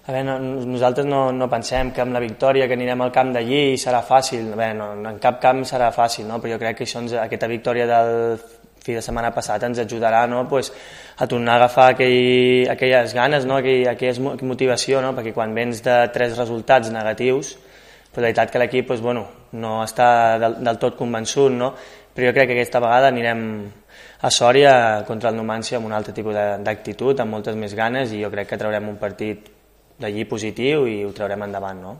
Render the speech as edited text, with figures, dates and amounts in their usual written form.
A veure, nosaltres no pensem que amb la victòria que anirem al camp d'allí serà fàcil. A veure, en cap camp serà fàcil, no? Però jo crec que aquesta victòria del fi de setmana passat ens ajudarà, no? Pues, a tornar a agafar aquelles ganes, no? Aquella motivació, no? Perquè quan vens de 3 resultats negatius, però la veritat que l'equip pues, bueno, no està del tot convençut, no? Però jo crec que aquesta vegada anirem a Sòria contra el Numancia amb un altre tipus d'actitud, amb moltes més ganes, i jo crec que traurem un partit d'allí positiu i ho traurem endavant, no?